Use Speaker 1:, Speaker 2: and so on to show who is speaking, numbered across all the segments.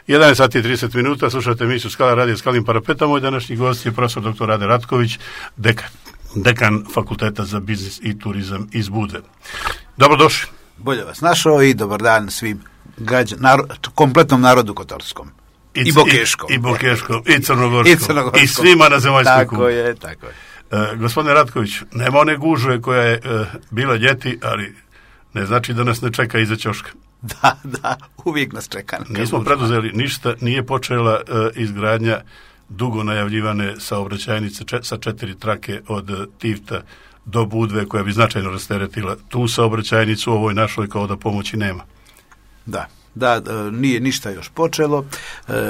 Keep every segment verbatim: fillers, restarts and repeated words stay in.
Speaker 1: jedanaest sati i trideset minuta, slušate emisiju Skala radio Skalim parapetom. Moj današnji gost je profesor doktor Rade Ratković, dekan, dekan Fakulteta za biznis i turizam iz Budve. Dobrodošli.
Speaker 2: Bolje vas našao i dobar dan svim građan, narod, kompletnom narodu kotorskom. I, I bokeškom.
Speaker 1: I, i bokeškom, i crnogorskom,
Speaker 2: i crnogorskom.
Speaker 1: I svima na zemaljskoj kugli.
Speaker 2: Tako je, tako je.
Speaker 1: Uh, gospodine Ratković, nema one gužve koja je uh, bila ljeti, ali ne znači da nas ne čeka iza ćoška.
Speaker 2: Da, da, uvijek nas čeka.
Speaker 1: Nismo preduzeli ništa, nije počela uh, izgradnja dugo najavljivane saobraćajnice če, sa četiri trake od uh, Tivta do Budve, koja bi značajno rasteretila tu saobraćajnicu, ovoj našoj kao da pomoći nema.
Speaker 2: Da. Da, nije ništa još počelo.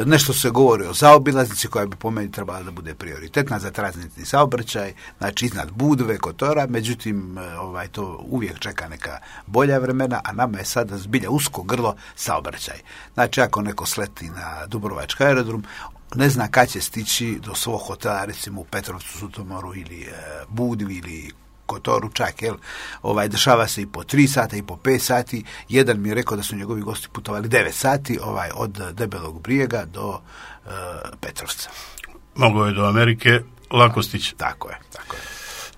Speaker 2: Nešto se govori o zaobilaznici koja bi po meni trebala da bude prioritetna za tranzitni saobraćaj, znači iznad Budve, Kotora, međutim ovaj, to uvijek čeka neka bolja vremena, a nama je sada zbilja usko grlo saobraćaj. Znači ako neko sleti na Dubrovački aerodrom, ne zna kad će stići do svog hotela, recimo u Petrovcu, Sutomoru ili e, Budvi ili Kotoru čak, jel, ovaj, dešava se i po tri sata i po pet sati. Jedan mi je rekao da su njegovi gosti putovali devet sati, ovaj, od Debelog Brijega do uh, Petrovca.
Speaker 1: Mogao je do Amerike lako stići.
Speaker 2: Tako je, tako je.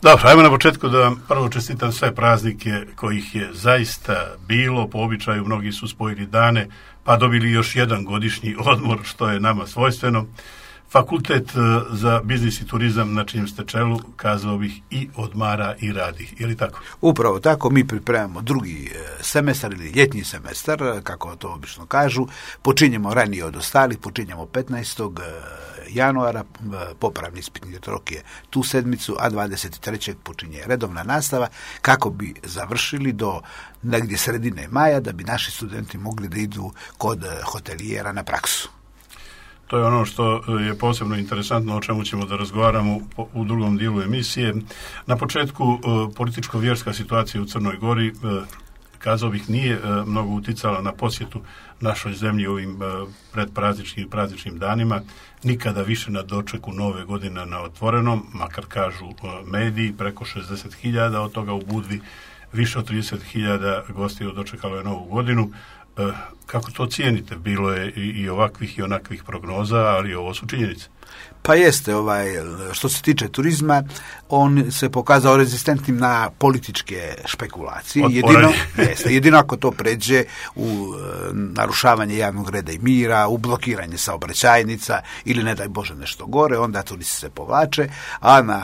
Speaker 1: Dobro, ajmo na početku da vam prvo čestitam sve praznike kojih je zaista bilo, po običaju mnogi su spojili dane, pa dobili još jedan godišnji odmor, što je nama svojstveno. Fakultet za biznis i turizam na čijem ste čelu, kazao bih, i odmara i radi. Je li tako?
Speaker 2: Upravo tako, mi pripremamo drugi semestar ili ljetni semestar, kako to obično kažu. Počinjemo ranije od ostalih, počinjemo petnaestog januara, popravni ispitni rok je tu sedmicu, a dvadeset trećeg počinje redovna nastava, kako bi završili do negdje sredine maja, da bi naši studenti mogli da idu kod hotelijera na praksu.
Speaker 1: To je ono što je posebno interesantno, o čemu ćemo da razgovaramo u drugom dijelu emisije. Na početku, političko-vjerska situacija u Crnoj Gori, kazao bih, nije mnogo uticala na posjetu našoj zemlji ovim predprazničnim i prazničnim danima. Nikada više na dočeku nove godine na otvorenom, makar kažu mediji, preko šezdeset hiljada, od toga u Budvi više od trideset hiljada gostiju dočekalo je novu godinu. Kako to cijenite? Bilo je i ovakvih i onakvih prognoza, ali ovo su činjenice.
Speaker 2: Pa jeste, ovaj, što se tiče turizma, on se pokazao rezistentnim na političke špekulacije. Jedino, jeste, jedino ako to pređe u e, narušavanje javnog reda i mira, u blokiranje saobraćajnica ili ne daj Bože nešto gore, onda turisti se povlače, a na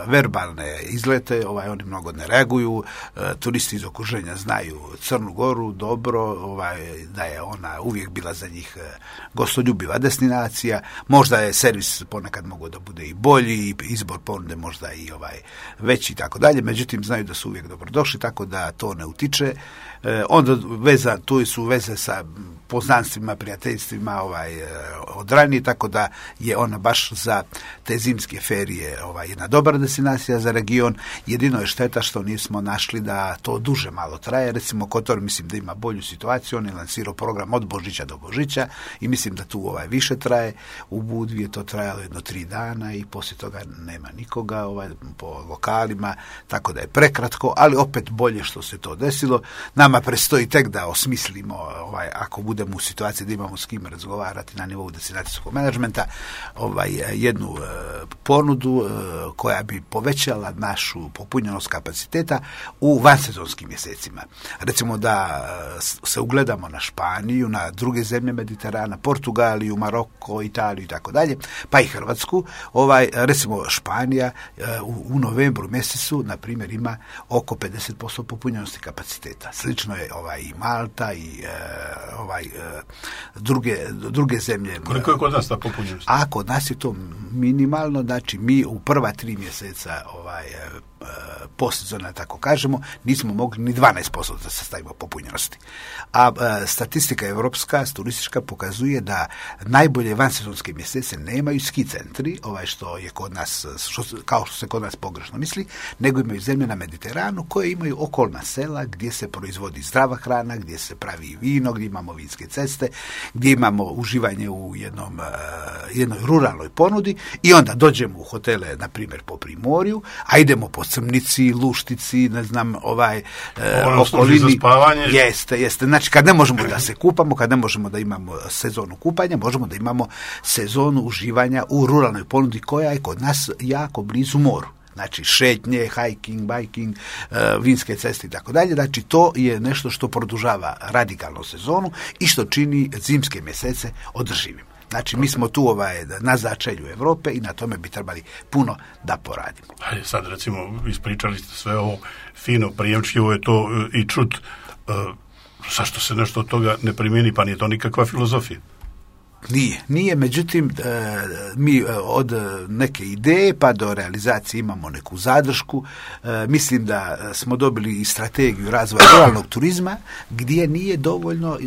Speaker 2: verbalne izlete ovaj, oni mnogo ne reaguju. E, turisti iz okruženja znaju Crnu Goru dobro, ovaj, da je ona uvijek bila za njih e, gostoljubiva destinacija. Možda je servis ponekad mogu da bude i bolji, i izbor ponude možda i ovaj veći i tako dalje, međutim znaju da su uvijek dobrodošli, tako da to ne utiče. E, onda veza, tu su veze sa poznanstvima, prijateljstvima ovaj, od ranije, tako da je ona baš za te zimske ferije ovaj, jedna dobra destinacija za region. Jedino je šteta što nismo našli da to duže malo traje. Recimo Kotor mislim da ima bolju situaciju, on je lansirao program od Božića do Božića i mislim da tu ovaj više traje. U Budvi je to trajalo jedno tri dana i poslije toga nema nikoga ovaj, po lokalima, tako da je prekratko, ali opet bolje što se to desilo. Nama prestoji tek da osmislimo, ovaj, ako budemo u situaciji da imamo s kim razgovarati na nivou destinacijskog menadžmenta, ovaj, jednu e, ponudu e, koja bi povećala našu popunjenost kapaciteta u vansezonskim mjesecima. Recimo da se ugledamo na Španiju, na druge zemlje Mediterana, Portugaliju, Maroko, Italiju i tako dalje, pa i Hrvatsku. Ovaj, recimo Španija e, u, u novembru mjesecu, na primjer, ima oko pedeset posto popunjenosti kapaciteta. Slično je ovaj, i Malta i e, ovaj, e, druge, druge zemlje.
Speaker 1: Koliko je kod nas ta popunjenost?
Speaker 2: A kod nas je to minimalno, znači mi u prva tri mjeseca ovaj, e, postsezona, tako kažemo, nismo mogli ni dvanaest posto da sastavimo popunjenosti. A e, statistika evropska, turistička, pokazuje da najbolje vansezonske mjesece nemaju ski centri, ovaj što je kod nas, što, kao što se kod nas pogrešno misli, nego imaju zemlje na Mediteranu koje imaju okolna sela gdje se proizvodi zdrava hrana, gdje se pravi vino, gdje imamo vinske ceste, gdje imamo uživanje u jednom, uh, jednoj ruralnoj ponudi i onda dođemo u hotele, na primjer po Primorju, a idemo po Crnici, Luštici, ne znam, ovaj uh, okolini.
Speaker 1: Za spavanje.
Speaker 2: Jeste, jeste. Znači, kad ne možemo da se kupamo, kad ne možemo da imamo sezonu kupanja, možemo da imamo sezonu uživanja u ruralnoj ponudi koja je kod nas jako blizu moru. Znači šetnje, hiking, biking, uh, vinske ceste i tako dalje. Znači to je nešto što produžava radikalno sezonu i što čini zimske mjesece održivim. Znači mi smo tu ovaj, na začelju Europe i na tome bi trebali puno da poradimo.
Speaker 1: Ajde, sad recimo ispričali ste sve ovo fino, prijemčljivo je to i čut. Uh, zašto se nešto od toga ne primjeni, pa nije to nikakva filozofija?
Speaker 2: Nije, nije, međutim mi od neke ideje pa do realizacije imamo neku zadršku. Mislim da smo dobili i strategiju razvoja ruralnog turizma gdje nije dovoljno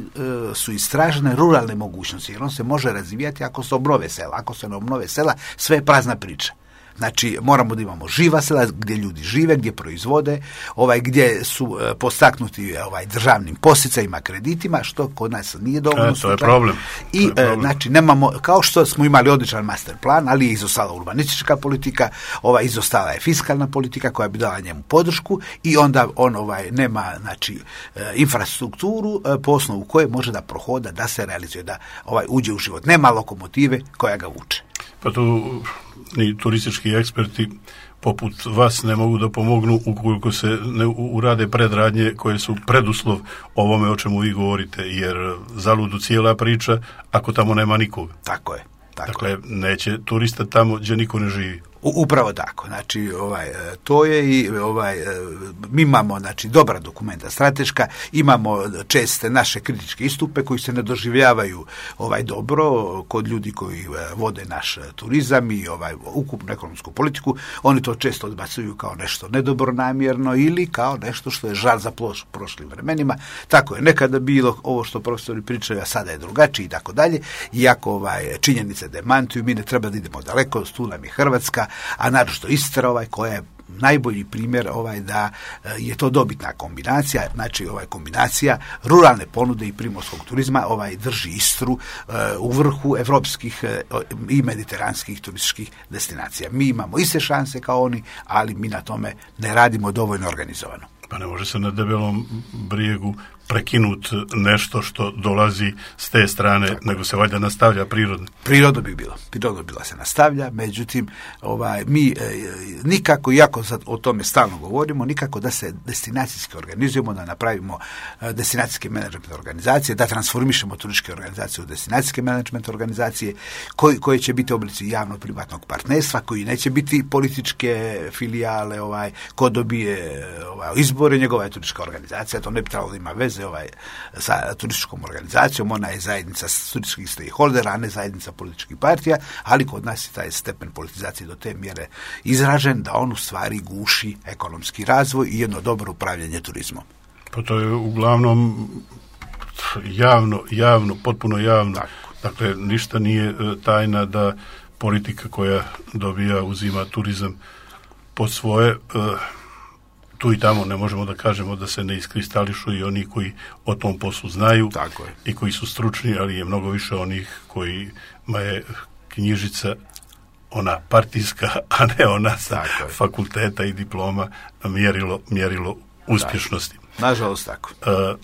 Speaker 2: su istražene ruralne mogućnosti, jer on se može razvijati ako se obnove sela. Ako se ne obnove sela, sve je prazna priča. Znači, moramo da imamo živa sela gdje ljudi žive, gdje proizvode, ovaj, gdje su e, postaknuti ovaj, državnim posticajima, kreditima, što kod nas nije dovoljno.
Speaker 1: E, to je problem.
Speaker 2: I,
Speaker 1: je problem.
Speaker 2: E, znači, nemamo, kao što smo imali odličan master plan, ali je izostala urbanistička politika, ovaj, izostala je fiskalna politika koja bi dala njemu podršku i onda on ovaj, nema znači, e, infrastrukturu e, po osnovu koje može da prohoda, da se realizuje, da ovaj, uđe u život. Nema lokomotive koja ga vuče.
Speaker 1: Pa tu ni turistički eksperti poput vas ne mogu da pomognu ukoliko se ne urade predradnje koje su preduslov ovome o čemu vi govorite, jer zaludu cijela priča ako tamo nema nikoga.
Speaker 2: Tako je. Tako
Speaker 1: dakle,
Speaker 2: je.
Speaker 1: neće turista tamo gdje niko ne živi.
Speaker 2: Upravo tako, znači ovaj, to je i ovaj, mi imamo znači, dobra dokumenta strateška, imamo česte naše kritičke istupe koji se ne doživljavaju ovaj, dobro kod ljudi koji vode naš turizam i ovaj, ukupnu ekonomsku politiku, oni to često odbacuju kao nešto nedobronamjerno ili kao nešto što je žal za ploš, prošlim vremenima. Tako je nekada bilo, ovo što profesori pričaju, a sada je drugačije i tako dalje, iako ovaj, činjenice demantuju, mi ne treba da idemo daleko, tu nam je Hrvatska, a naročito Istra ovaj, koja je najbolji primjer ovaj da je to dobitna kombinacija, znači ovaj kombinacija ruralne ponude i primorskog turizma ovaj drži Istru uh, u vrhu evropskih uh, i mediteranskih turističkih destinacija. Mi imamo iste šanse kao oni, ali mi na tome ne radimo dovoljno organizovano.
Speaker 1: Pa ne može se na Debelom brijegu prekinut nešto što dolazi s te strane, tako, nego se valjda nastavlja prirodno.
Speaker 2: Prirodno bi bilo. Prirodno bila se nastavlja, međutim, ovaj, mi e, nikako, iako sad o tome stalno govorimo, nikako da se destinacijski organizujemo, da napravimo e, destinacijske menadžment organizacije, da transformišemo turističke organizacije u destinacijske menadžment organizacije, koji, koje će biti oblici javno-privatnog partnerstva, koji neće biti političke filijale, ovaj, ko dobije ovaj, izbore, njegova je turistička organizacija, to ne bi trebalo da ima veze ovaj, sa turističkom organizacijom, ona je zajednica turističkih stakeholdera, a ne zajednica političkih partija, ali kod nas je taj stepen politizacije do te mjere izražen da on u stvari guši ekonomski razvoj i jedno dobro upravljanje turizmom.
Speaker 1: Pa to je uglavnom javno, javno, potpuno javno. Tako. Dakle, ništa nije tajna da politika koja dobija, uzima turizam pod svoje, tu i tamo ne možemo da kažemo da se ne iskristališu i oni koji o tom poslu znaju.
Speaker 2: Tako je.
Speaker 1: I koji su stručni, ali je mnogo više onih kojima je knjižica ona partijska, a ne ona sa fakulteta i diploma mjerilo, mjerilo uspješnosti.
Speaker 2: Tako. Nažalost tako.
Speaker 1: Uh,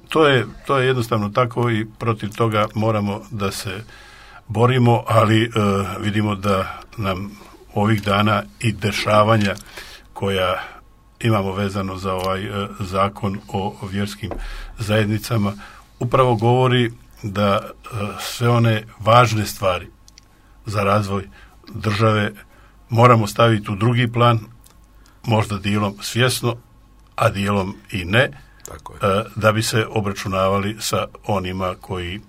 Speaker 1: to je, to je jednostavno tako i protiv toga moramo da se borimo, ali uh, vidimo da nam ovih dana i dešavanja koja imamo vezano za ovaj uh, zakon o vjerskim zajednicama upravo govori da uh, sve one važne stvari za razvoj države moramo staviti u drugi plan, možda dijelom svjesno, a dijelom i ne,
Speaker 2: tako je.
Speaker 1: Uh, da bi se obračunavali sa onima koji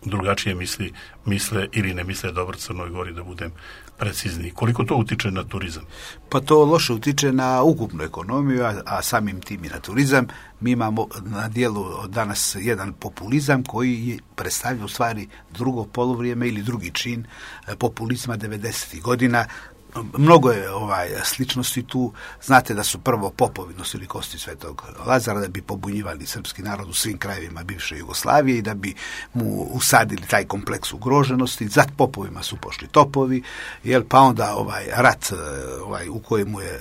Speaker 1: drugačije misli, misle ili ne misle dobro Crnoj Gori, da budem precizniji. Koliko to utiče na turizam?
Speaker 2: Pa to loše utiče na ukupnu ekonomiju, a, a samim tim i na turizam. Mi imamo na dijelu danas jedan populizam koji predstavlja u stvari drugo poluvrijeme ili drugi čin populizma devedesetih godina. Mnogo je ovaj sličnosti tu. Znate da su prvo popovi nosili kosti Svetog Lazara da bi pobunjivali srpski narod u svim krajevima bivše Jugoslavije i da bi mu usadili taj kompleks ugroženosti. Za popovima su pošli topovi, jel, pa onda ovaj rat ovaj, u kojemu je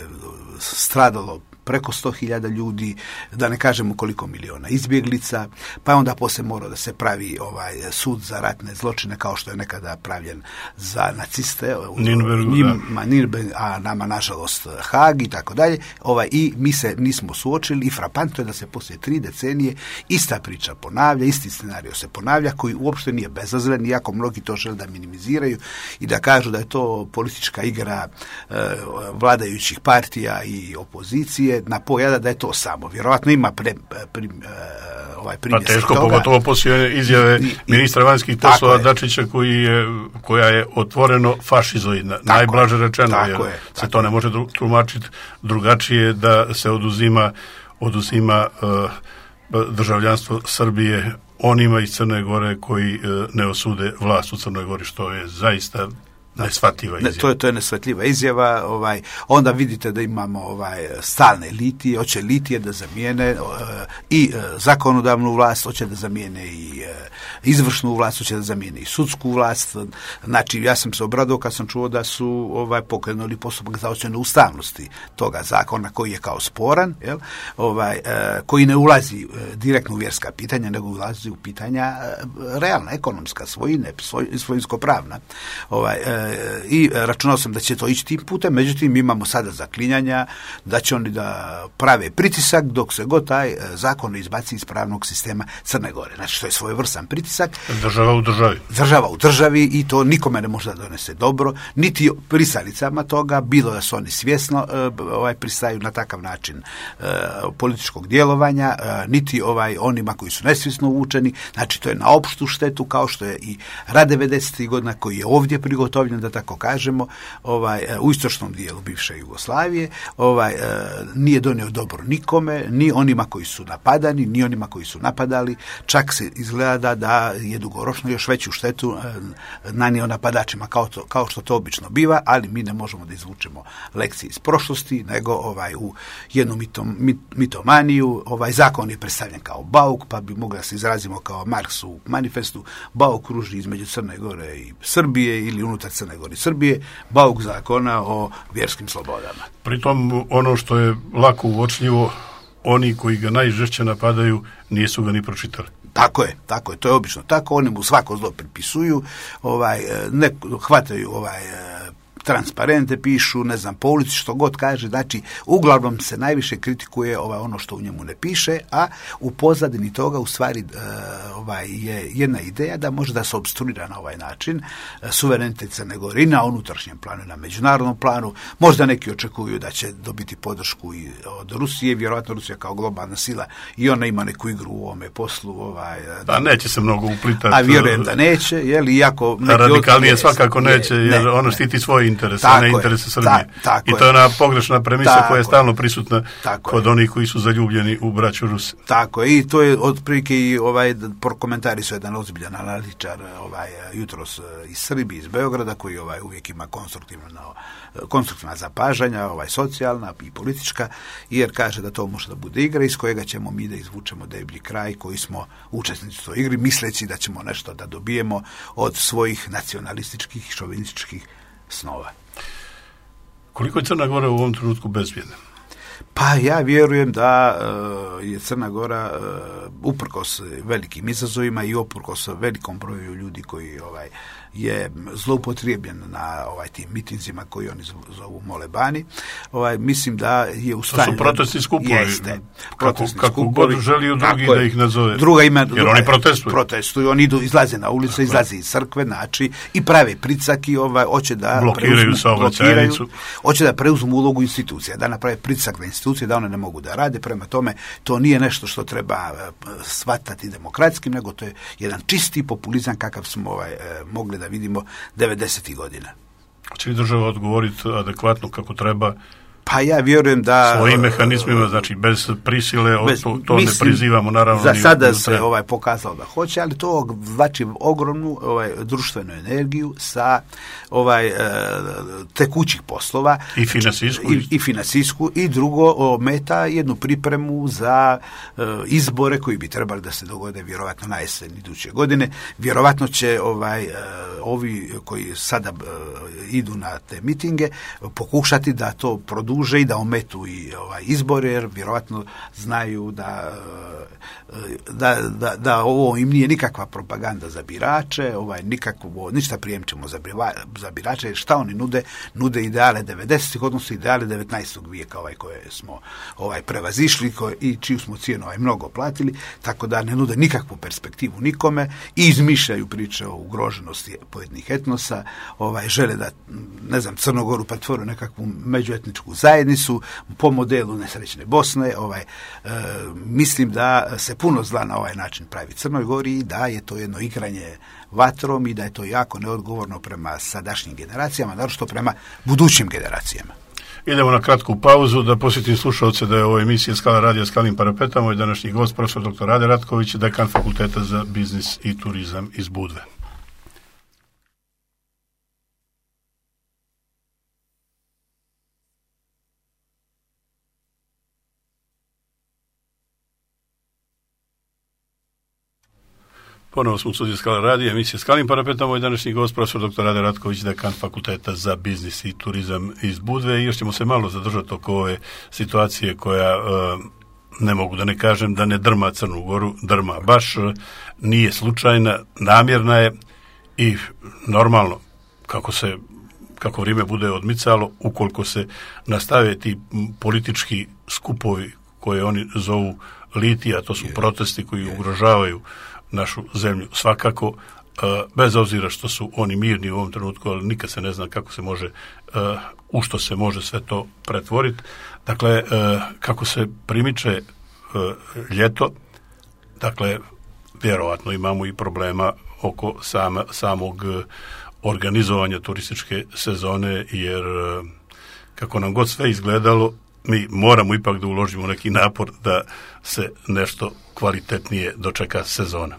Speaker 2: stradalo preko sto hiljada ljudi, da ne kažemo koliko miliona izbjeglica, pa je onda poslije morao da se pravi ovaj sud za ratne zločine kao što je nekada pravljen za naciste u Nürnbergu, a nama nažalost Haag i tako dalje. Ovaj, i mi se nismo suočili i frapantno je da se poslije tri decenije ista priča ponavlja, isti scenario se ponavlja koji uopšte nije bezazlen, iako mnogi to žele da minimiziraju i da kažu da je to politička igra e, vladajućih partija i opozicije, na pojada da je to samo. Vjerovatno ima pre, pre, e, ovaj primjer.
Speaker 1: Pa teško, pogotovo poslije izjave I, ministra vanjskih poslova Dačića koji je, koja je otvoreno fašizoidna, najblaže rečeno, jer je, se to ne može tumačiti drugačije, da se oduzima oduzima uh, državljanstvo Srbije onima iz Crne Gore koji uh, ne osude vlast u Crnoj Gori, što je zaista neshvatljiva izjava.
Speaker 2: Ne, to je to je neshvatljiva izjava. Ovaj, onda vidite da imamo ovaj stalne litije, hoće litije da zamijene uh, i uh, zakonodavnu vlast, hoće da zamijene i uh, izvršnu vlast, hoće da zamijene i sudsku vlast. Znači, ja sam se obradao kad sam čuo da su ovaj pokrenuli postupak za ocjenu ustavnosti toga zakona koji je kao sporan, jel? Ovaj, uh, koji ne ulazi uh, direktno u vjerska pitanja, nego ulazi u pitanja uh, realna, ekonomska, svojine, svoj, svojinsko-pravna. Ovaj, uh, i računao sam da će to ići tim putem, međutim imamo sada zaklinjanja da će oni da prave pritisak dok se god taj zakon ne izbaci iz pravnog sistema Crne Gore. Znači, to je svojevrstan pritisak.
Speaker 1: Država u državi.
Speaker 2: Država u državi i to nikome ne može da donese dobro, niti pristalicama toga, bilo da su oni svjesno ovaj, pristaju na takav način uh, političkog djelovanja, uh, niti ovaj, onima koji su nesvjesno uvučeni. Znači, to je na opštu štetu, kao što je i rat devedesetih godina koji je ovdje prigotovljen, da tako kažemo, ovaj, u istočnom dijelu bivše Jugoslavije, ovaj, nije donio dobro nikome, ni onima koji su napadani, ni onima koji su napadali, čak se izgleda da je dugoročno još veću štetu nanio napadačima, kao, to, kao što to obično biva, ali mi ne možemo da izvučemo lekcije iz prošlosti, nego ovaj, u jednu mitom, mit, mitomaniju, ovaj zakon je predstavljen kao bauk, pa bi mogli da se izrazimo kao Marks u manifestu, bauk kruži između Crne Gore i Srbije ili unutar Crne Gore i Srbije, bauk zakona o vjerskim slobodama.
Speaker 1: Pritom ono što je lako uočljivo, oni koji ga najžešće napadaju nisu ga ni pročitali.
Speaker 2: Tako je, tako je, to je obično tako, oni mu svako zlo pripisuju, ovaj, ne, hvataju ovaj, transparente pišu, ne znam, po ulici što god kaže, znači uglavnom se najviše kritikuje ovaj, ono što u njemu ne piše, a u pozadini toga u stvari uh, ovaj, je jedna ideja da može da se opstruira na ovaj način uh, suverenitet Crne Gore i na unutrašnjem planu i na međunarodnom planu. Možda neki očekuju da će dobiti podršku i od Rusije, vjerojatno Rusija kao globalna sila i ona ima neku igru u ovome poslu. Ovaj,
Speaker 1: da, da neće se mnogo uplitati.
Speaker 2: A vjerujem da neće, jer iako...
Speaker 1: Radikalnije svakako neće, jer ne, ono štiti svoje interese, a ne interese Srbije. Ta, I to je ona pogrešna premisa tako koja je stalno prisutna kod je. onih koji su zaljubljeni u braću Rusi.
Speaker 2: Tako je, i to je otprilike i ovaj komentari su jedan ozbiljan analitičar ovaj jutros iz Srbije, iz Beograda, koji ovaj uvijek ima konstruktivno konstruktivna zapažanja, ovaj socijalna i politička, jer kaže da to može da bude igra iz kojega ćemo mi da izvučemo deblji kraj koji smo učesnici u toj igri, misleći da ćemo nešto da dobijemo od svojih nacionalističkih i šovinističkih snova.
Speaker 1: Koliko je Crna Gora u ovom trenutku bezbjedna?
Speaker 2: Pa ja vjerujem da uh, je Crna Gora uh, uprkos velikim izazovima i uprkos velikom broju ljudi koji ovaj je zloupotrijebljen na ovaj tim mitinzima koji oni zovu molebani. Ovaj mislim da je u stanju.
Speaker 1: To su protestni skupovi.
Speaker 2: Jeste.
Speaker 1: Protestni kako, kako god želiju drugi da ih nazove.
Speaker 2: Druga ima,
Speaker 1: jer
Speaker 2: druga,
Speaker 1: oni protestuju.
Speaker 2: Protestuju, oni idu, izlaze na ulice, dakle. izlaze iz crkve, znači i prave pricak i ovaj hoće da
Speaker 1: blokiraju saobraćajnicu.
Speaker 2: Hoće da preuzmu ulogu institucija, da naprave pritisak na institucije da one ne mogu da rade. Prema tome to nije nešto što treba shvatati demokratskim, nego to je jedan čisti populizam kakav smo ovaj mogli da vidimo devedesetih godina.
Speaker 1: Hoće li država odgovoriti adekvatno kako treba?
Speaker 2: Pa ja vjerujem da...
Speaker 1: Svojim mehanizmima, znači bez prisile, bez, to, to mislim, ne prizivamo naravno.
Speaker 2: Za sada ni, se ovaj, pokazalo da hoće, ali to znači ogromnu ovaj, društvenu energiju sa ovaj, tekućih poslova.
Speaker 1: I finansijsku.
Speaker 2: I, i finansijsku. I drugo, ometa jednu pripremu za uh, izbore koji bi trebali da se dogode vjerovatno na jesen iduće godine. Vjerovatno će ovaj, uh, ovi koji sada uh, idu na te mitinge pokušati da to produže duže i da ometu i ovaj izbore, jer vjerojatno znaju da, da, da, da ovo im nije nikakva propaganda za birače, ovaj, nikakvo, ništa prijemčemo za, za birače, jer šta oni nude? Nude ideale devedesetih, odnosno ideale devetnaestog vijeka ovaj, koje smo ovaj, prevazišli koje, i čiju smo cijenu ovaj, mnogo platili, tako da ne nude nikakvu perspektivu nikome i izmišljaju priče o ugroženosti pojedinih etnosa, ovaj, žele da, ne znam, Crnogoru pretvore nekakvu međuetničku zajednicu po modelu nesrećne Bosne. Ovaj, e, mislim da se puno zla na ovaj način pravi Crnoj Gori i da je to jedno igranje vatrom i da je to jako neodgovorno prema sadašnjim generacijama, naročito prema budućim generacijama.
Speaker 1: Idemo na kratku pauzu da posjetim slušalce da je ovo emisija Skala radija Skalim Parapetama i današnji gost profesor doktor Rade Ratković, dekan Fakulteta za biznis i turizam iz Budve. Ponovo smo u studiju Skala radija, emisija Skalim Parapetama i današnji gost profesor doktor Rade Ratković, dekan Fakulteta za biznis i turizam iz Budve. I još ćemo se malo zadržati oko ove situacije koja, ne mogu da ne kažem, da ne drma Crnu Goru, drma baš, nije slučajna, namjerna je i normalno kako se kako vrijeme bude odmicalo, ukoliko se nastave ti politički skupovi koje oni zovu litija, to su protesti koji ugrožavaju našu zemlju svakako, bez obzira što su oni mirni u ovom trenutku, ali nikad se ne zna kako se može, u što se može sve to pretvoriti. Dakle, kako se primiče ljeto, dakle, vjerovatno imamo i problema oko sama, samog organizovanja turističke sezone, jer kako nam god sve izgledalo, mi moramo ipak da uložimo neki napor da se nešto kvalitetnije dočeka sezona.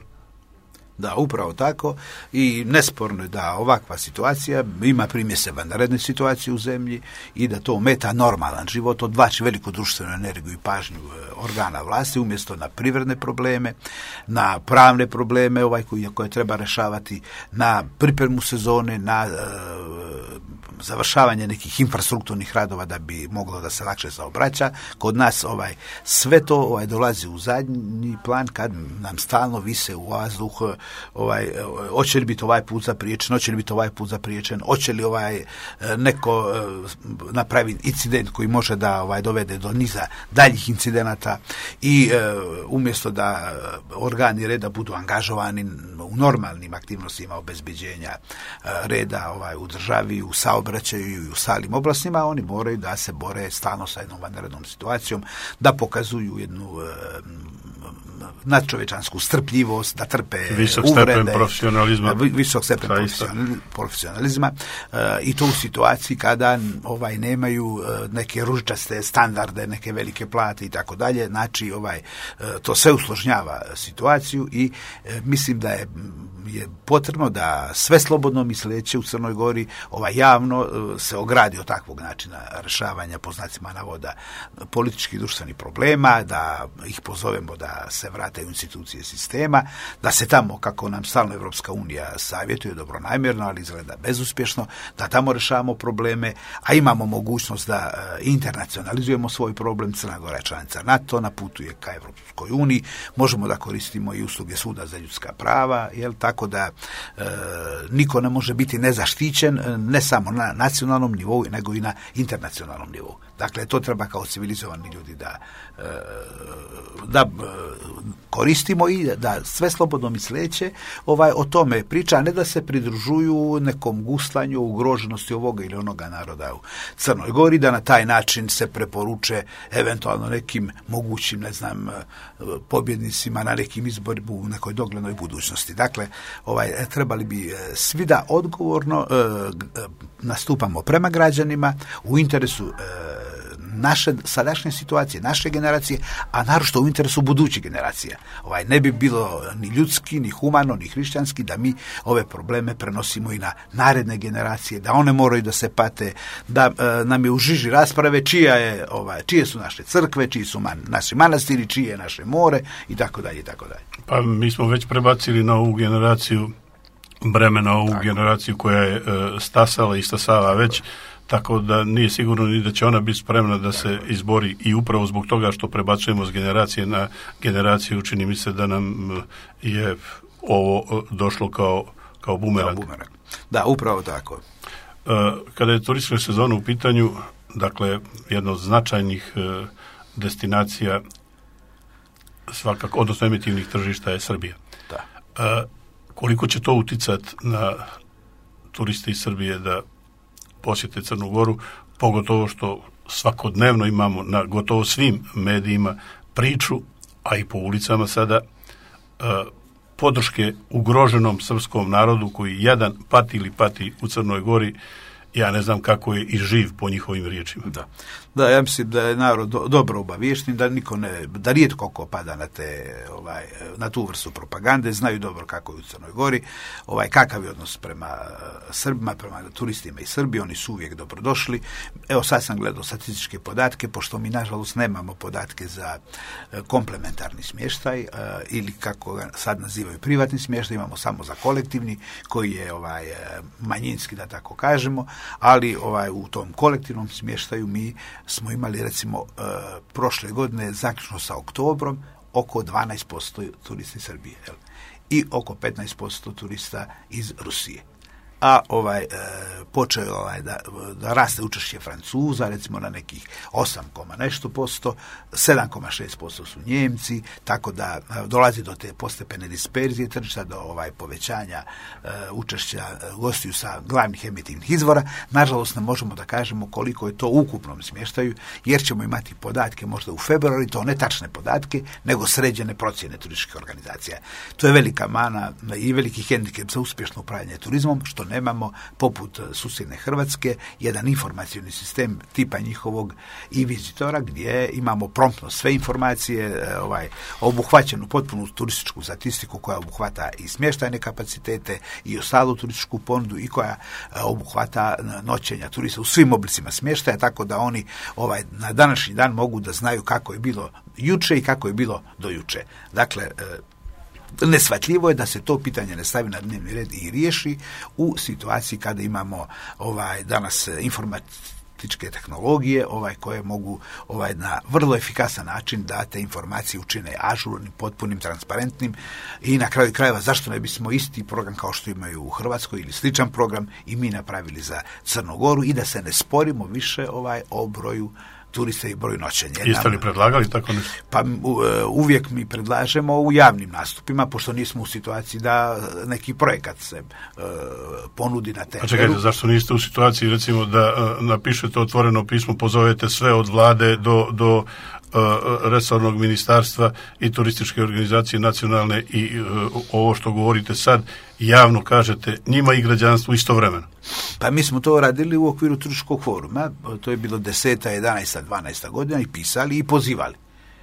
Speaker 2: Da, upravo tako i nesporno je da ovakva situacija ima primjese vanredne situacije u zemlji i da to ometa normalan život, odvlači veliku društvenu energiju i pažnju organa vlasti umjesto na privredne probleme, na pravne probleme ovaj koje, koje treba rješavati, na pripremu sezone, na e, završavanje nekih infrastrukturnih radova da bi moglo da se lakše saobraća. Kod nas ovaj sve to ovaj dolazi u zadnji plan kad nam stalno vise u vazduh ovaj hoće li biti ovaj put zapriječen, hoće li biti ovaj put zapriječen, hoće li ovaj neko napravi incident koji može da ovaj dovede do niza daljih incidenata i e, umjesto da organi reda budu angažovani u normalnim aktivnostima obezbeđenja e, reda ovaj u državi, u saobraćaju i u stalim oblastima, oni moraju da se bore stalno sa jednom vanrednom situacijom, da pokazuju jednu e, nadčovečansku strpljivost, da trpe
Speaker 1: visok
Speaker 2: uvrede,
Speaker 1: stepen profesionalizma,
Speaker 2: visok stepen profesionalizma uh, i to u situaciji kada ovaj nemaju uh, neke ružičaste standarde, neke velike plate i tako dalje. Znači ovaj uh, to sve usložnjava situaciju i uh, mislim da je, je potrebno da sve slobodno misleće u Crnoj Gori ovaj javno uh, se ogradi od takvog načina rješavanja po znacima navoda političkih i društvenih problema, da ih pozovemo da se vrate u institucije sistema, da se tamo, kako nam stalno Evropska unija savjetuje dobronamjerno, ali izgleda bezuspješno, da tamo rješavamo probleme, a imamo mogućnost da e, internacionalizujemo svoj problem. Crna Gora je članica NATO, na putu je ka Evropskoj uniji, možemo da koristimo i usluge Suda za ljudska prava, jel, tako da e, niko ne može biti nezaštićen, ne samo na nacionalnom nivou, nego i na internacionalnom nivou. Dakle, to treba kao civilizovani ljudi da, da koristimo i da sve slobodno misleće ovaj, o tome priča, a ne da se pridružuju nekom guslanju ugroženosti ovoga ili onoga naroda u Crnoj Gori, da na taj način se preporuče eventualno nekim mogućim, ne znam, pobjednicima na nekim izborima u nekoj doglednoj budućnosti. Dakle, ovaj, trebali bi svi da odgovorno e, nastupamo prema građanima u interesu e, naše sadašnje situacije, naše generacije, a naročito u interesu budućih generacija. Ovaj, ne bi bilo ni ljudski, ni humano, ni hrišćanski da mi ove probleme prenosimo i na naredne generacije, da one moraju da se pate, da e, nam je u žiži rasprave čija je, ovaj, čije su naše crkve, čiji su man, naši manastiri, čije je naše more i tako dalje i tako dalje.
Speaker 1: Pa mi smo već prebacili na ovu generaciju bremena, ovu tako. generaciju koja je e, stasala i stasava već. tako da nije sigurno ni da će ona biti spremna da se izbori i upravo zbog toga što prebacujemo s generacije na generaciju, čini mi se da nam je ovo došlo kao, kao bumerang.
Speaker 2: Kao bumerang. Da, upravo tako.
Speaker 1: Kada je turistička sezona u pitanju, dakle, jedna od značajnih destinacija svakako, odnosno emitivnih tržišta je Srbija.
Speaker 2: Da.
Speaker 1: Koliko će to uticati na turiste iz Srbije da posjete Crnu Goru, pogotovo što svakodnevno imamo na gotovo svim medijima priču, a i po ulicama sada, podrške ugroženom srpskom narodu koji jedan pati ili pati u Crnoj Gori, ja ne znam kako je i živ po njihovim riječima.
Speaker 2: Da, da, ja mislim da je narod do, dobro obaviješten, da niko ne, da rijetko ko pada na te, ovaj, na tu vrstu propagande, znaju dobro kako je u Crnoj Gori, ovaj, kakav je odnos prema Srbima, prema turistima iz Srbije, oni su uvijek dobrodošli. Evo sad sam gledao statističke podatke, pošto mi nažalost nemamo podatke za komplementarni smještaj ili kako ga sad nazivaju privatni smještaj, imamo samo za kolektivni koji je ovaj manjinski, da tako kažemo, ali ovaj u tom kolektivnom smještaju mi smo imali recimo uh, prošle godine zaključno sa oktobrom oko dvanaest posto turista iz Srbije, jel? I oko petnaest posto turista iz Rusije. A ovaj e, počeo ovaj da, da raste učešće Francuza, recimo na nekih osam komma nešto posto, sedam komma šest posto su Njemci, tako da e, dolazi do te postepene disperzije tržišta, do ovaj povećanja e, učešća gostiju sa glavnih emitivnih izvora. Nažalost ne možemo da kažemo koliko je to u ukupnom smještaju, jer ćemo imati podatke možda u februari, to ne tačne podatke, nego sređene procjene turističkih organizacija. To je velika mana i veliki hendikep za uspješno upravljanje turizmom, što nemamo, poput susjedne Hrvatske, jedan informacioni sistem tipa njihovog i vizitora, gdje imamo promptno sve informacije, ovaj, obuhvaćenu potpunu turističku statistiku koja obuhvata i smještajne kapacitete i ostalu turističku ponudu i koja obuhvata noćenja turista u svim oblicima smještaja, tako da oni ovaj, na današnji dan mogu da znaju kako je bilo juče i kako je bilo do juče. Dakle, neshvatljivo je da se to pitanje ne stavi na dnevni red i riješi u situaciji kada imamo ovaj danas informatičke tehnologije ovaj koje mogu ovaj na vrlo efikasan način da te informacije učine ažurnim, potpunim, transparentnim i na kraju krajeva zašto ne bismo isti program kao što imaju u Hrvatskoj ili sličan program i mi napravili za Crnu Goru i da se ne sporimo više ovaj o broju turista i broj noćenja.
Speaker 1: Jeste li predlagali tako nešto?
Speaker 2: Pa uvijek mi predlažemo u javnim nastupima, pošto nismo u situaciji da neki projekat se uh, ponudi na temeru.
Speaker 1: A čekajte, zašto niste u situaciji recimo da uh, napišete otvoreno pismo, pozovete sve od vlade do, do uh, resornog ministarstva i turističke organizacije nacionalne i uh, ovo što govorite sad javno kažete njima i građanstvu istovremeno?
Speaker 2: Pa mi smo to radili u okviru turističkog foruma, to je bilo deseta, jedanaesta, dvanaesta godina i pisali i pozivali.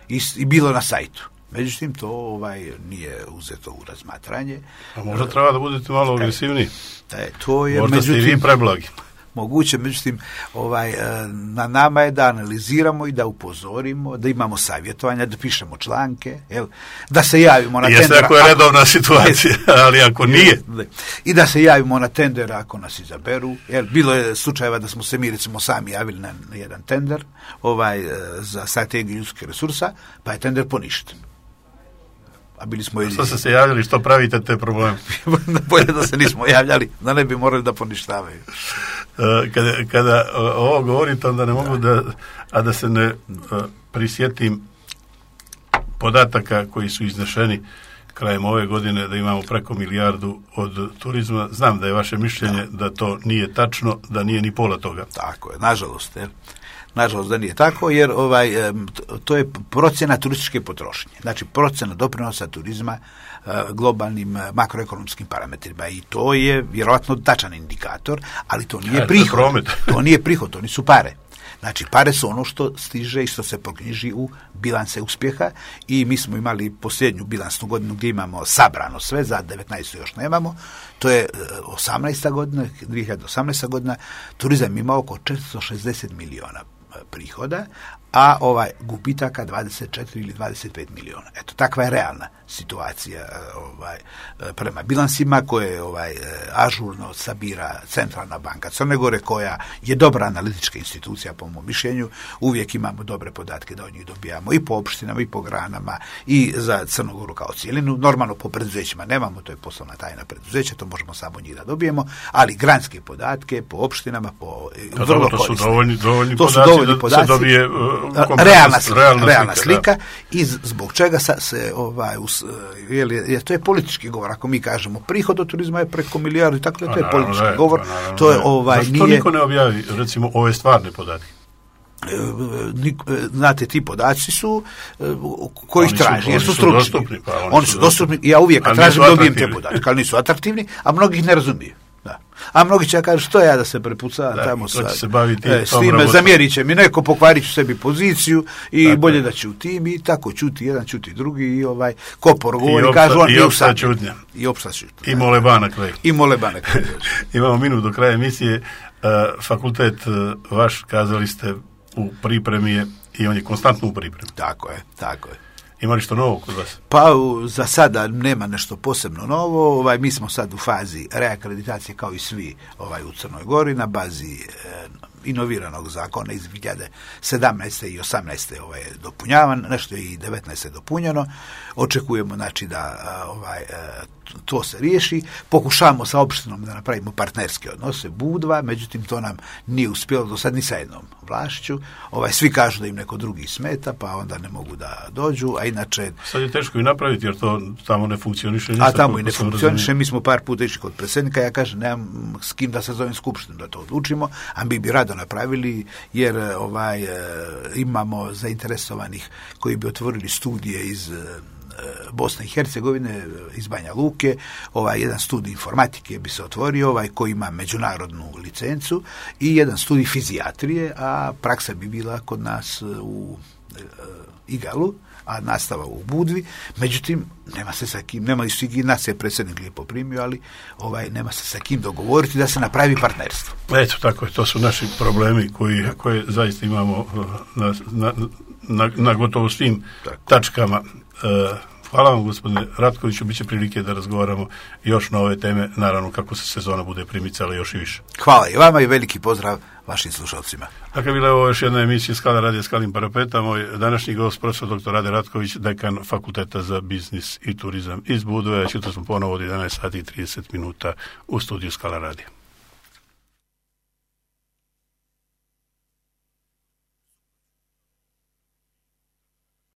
Speaker 2: I, i bilo na sajtu. Međutim, to ovaj nije uzeto u razmatranje.
Speaker 1: A možda treba da budete malo agresivniji.
Speaker 2: E, to je,
Speaker 1: možda
Speaker 2: međutim,
Speaker 1: ste i vi preblagi.
Speaker 2: Moguće, međutim, ovaj, na nama je da analiziramo i da upozorimo, da imamo savjetovanja, da pišemo članke, jel, da se javimo na tender.
Speaker 1: Jeste ako je redovna situacija, ali ako nije.
Speaker 2: I da se javimo na tender ako nas izaberu. Jel, bilo je slučajeva da smo se mi recimo sami javili na, na jedan tender ovaj, za strategiju ljudskih resursa, pa je tender poništen. A bili smo
Speaker 1: što ste se javljali, što pravite te probleme?
Speaker 2: Bolje da se nismo javljali, da ne bi morali da poništavaju.
Speaker 1: Kada, kada ovo govorite, onda ne mogu da, a da se ne prisjetim podataka koji su iznešeni krajem ove godine, da imamo preko milijardu od turizma. Znam da je vaše mišljenje da, da to nije tačno, da nije ni pola toga.
Speaker 2: Tako je, nažalost, jer nažalost da nije tako, jer ovaj, to je procjena turističke potrošnje. Znači procjena doprinosa turizma globalnim makroekonomskim parametrima i to je vjerojatno tačan indikator, ali to nije prihod. To nije prihod, to nisu pare. Znači, pare su ono što stiže i što se proknjiži u bilanse uspjeha i mi smo imali posljednju bilansnu godinu gdje imamo sabrano sve, za devetnaestu još nemamo, to je osamnaesta godina, dvije hiljade osamnaesta godina, turizam ima oko četiristo šezdeset miliona prihoda, a ovaj gubitaka dvadeset četiri ili dvadeset pet miliona. Eto, takva je realna situacija ovaj, prema bilansima koje ovaj, ažurno sabira Centralna banka Crne Gore, koja je dobra analitička institucija po mom mišljenju. Uvijek imamo dobre podatke da od njih dobijamo i po opštinama i po granama i za Crnu Goru kao cijelinu. Normalno po preduzećima nemamo, to je poslovna tajna preduzeća, to možemo samo njih da dobijemo, ali granske podatke po opštinama, po
Speaker 1: pa vrlo to su dovoljni, dovoljni
Speaker 2: to su
Speaker 1: podaci
Speaker 2: dovoljni
Speaker 1: da
Speaker 2: podaci,
Speaker 1: se dobije uh,
Speaker 2: realna slika, realna, realna
Speaker 1: slika,
Speaker 2: slika i zbog čega sa, se ovaj us, je, je, to je politički govor. Ako mi kažemo prihod od turizma je preko milijardu, tako da to je politički
Speaker 1: ne,
Speaker 2: govor.
Speaker 1: Naravno,
Speaker 2: to je ovaj
Speaker 1: zašto
Speaker 2: nije...
Speaker 1: to niko ne objavi, recimo, ove stvarne podatke?
Speaker 2: Znate, ti podaci su koji ih traži, jer su
Speaker 1: su
Speaker 2: stručni.
Speaker 1: Dostupni, pa oni,
Speaker 2: oni su dostupni i ja uvijek kad tražim dobijem te podatke, ali nisu atraktivni, a mnogi ih ne razumiju. Da. A mnogi će kažu što ja da se prepucam tamo sa,
Speaker 1: se baviti
Speaker 2: e, s time, zamjerit će mi neko, pokvarit ću sebi poziciju i tako, bolje da ćutim i tako ćuti jedan, ćuti drugi i ovaj ko progovori, kažu on
Speaker 1: i opsta čutnja.
Speaker 2: I opsta čutnja.
Speaker 1: I mole na kraju.
Speaker 2: I mole na kraju.
Speaker 1: Imamo minut do kraja emisije. Uh, fakultet uh, vaš, kazali ste, u pripremi je i on je konstantno u pripremi.
Speaker 2: Tako je, tako je.
Speaker 1: Ima li što novo kod vas?
Speaker 2: Pa za sada nema nešto posebno novo. Ovaj, mi smo sad u fazi reakreditacije kao i svi ovaj, u Crnoj Gori na bazi eh, inoviranog zakona iz dvije hiljade sedamnaeste i osamnaeste ovaj, je dopunjavan, nešto je i devetnaeste dopunjeno. Očekujemo znači da ovaj, to se riješi. Pokušavamo sa opštinom da napravimo partnerske odnose Budva, međutim to nam nije uspjelo do sad ni sa jednom vlašću. Ovaj, svi kažu da im neko drugi smeta, pa onda ne mogu da dođu, a inače...
Speaker 1: Sad je teško i napraviti, jer to tamo ne funkcioniše.
Speaker 2: A tamo i ne funkcioniše, mi smo par puta išli kod predsjednika, ja kažem, nemam s kim da se zovem skupštinu da to odlučimo, a mi bi rado napravili, jer ovaj, imamo zainteresovanih koji bi otvorili studije iz Bosne i Hercegovine, iz Banja Luke, ovaj jedan studij informatike bi se otvorio, ovaj koji ima međunarodnu licencu, i jedan studij fizijatrije, a praksa bi bila kod nas u Igalu, a nastava u Budvi. Međutim, nema se sa kim, nema i nas je predsjednik lijepo primio, ali ovaj nema se sa kim dogovoriti da se napravi partnerstvo.
Speaker 1: Eto, tako je, to su naši problemi koji, koje zaista imamo na, na, na, na gotovo svim tako. tačkama. Uh, hvala vam, gospodine Ratkoviću, bit će prilike da razgovaramo još na ove teme, naravno kako se sezona bude primicala još i više.
Speaker 2: Hvala i vama i veliki pozdrav vašim slušalcima.
Speaker 1: Dakle, bila je ovo još jedna emisija Skala radija Skalim Parapeta. Moj današnji gost, profesor doktor Rade Ratković, dekan Fakulteta za biznis i turizam iz Budve. Čuto smo ponovo od jedanaest sati i trideset minuta u studiju Skala radija.